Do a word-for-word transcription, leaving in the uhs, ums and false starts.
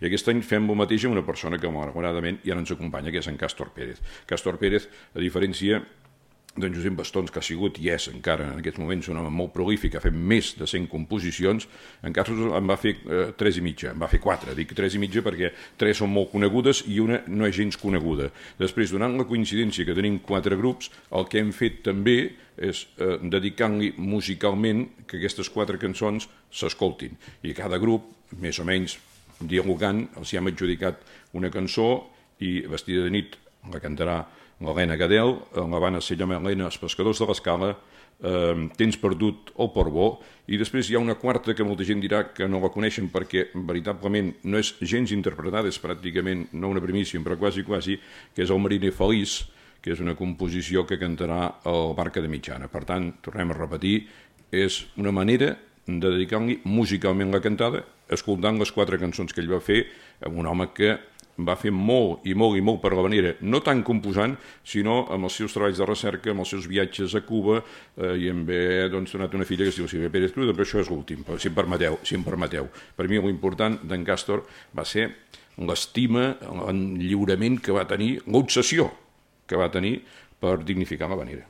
I aquest any fem el mateix amb una persona que malauradament ja no ens acompanya, que és en Càstor Pérez. Càstor Pérez, a diferència d'en Josep Bastons, que ha sigut i és encara en aquests moments un home molt prolífic, ha fet més de cent composicions, en Carlos en va fer eh, tres i mitja, en va fer quatre, dic tres i mitja perquè tres són molt conegudes i una no és gens coneguda. Després, donant la coincidència que tenim quatre grups, el que hem fet també és eh, dedicar-li musicalment que aquestes quatre cançons s'escoltin. I cada grup, més o menys dialogant, els hi hem adjudicat una cançó i Vestida de nit la cantarà l'Helena Gadel, la banda se llama Helena, els pescadors de l'Escala, eh, Tens perdut el Portbó, i després hi ha una quarta que molta gent dirà que no la coneixen perquè veritablement no és gens interpretada, és pràcticament no una primícia, però quasi quasi, que és el Mariner Feliç, que és una composició que cantarà el Barca de Mitjana. Per tant, tornem a repetir, és una manera de dedicar-li musicalment la cantada, escoltant les quatre cançons que ell va fer, amb un home que va fer molt i molt i molt per l'Havanera, no tant composant, sinó amb els seus treballs de recerca, amb els seus viatges a Cuba, eh, i em ve doncs, donat una filla que es diu Sílvia Pérez Cruz, però això és l'últim, si em permeteu. Si em permeteu. Per mi l'important d'en Càstor va ser l'estima, l'enlliurament que va tenir, l'obsessió que va tenir per dignificar l'Havanera.